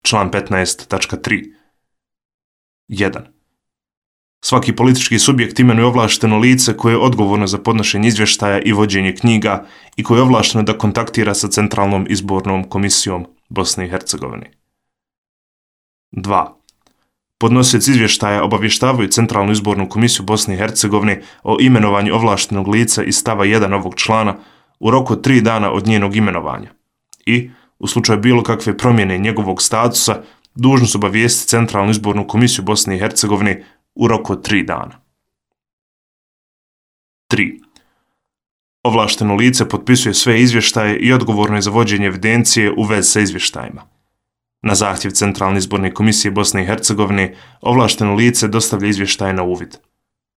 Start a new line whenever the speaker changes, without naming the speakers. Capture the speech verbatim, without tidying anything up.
Član petnaest tačka tri. jedan. Svaki politički subjekt imenuje ovlašteno lice koje je odgovorno za podnošenje izvještaja i vođenje knjiga i koje je ovlašteno da kontaktira sa Centralnom izbornom komisijom Bosne i Hercegovine. dva. Podnosioci izvještaja obavještavaju Centralnu izbornu komisiju Bosne i Hercegovine o imenovanju ovlaštenog lica iz stava jedan ovog člana u roku od tri dana od njenog imenovanja i, u slučaju bilo kakve promjene njegovog statusa, dužni su obavijestiti Centralnu izbornu komisiju Bosne i Hercegovine u roku od tri dana. tri. Ovlašteno lice potpisuje sve izvještaje i odgovorno je za vođenje evidencije u vezi sa izvještajima. Na zahtjev Centralne izborne komisije Bosne i Hercegovine ovlašteno lice dostavlja izvještaje na uvid.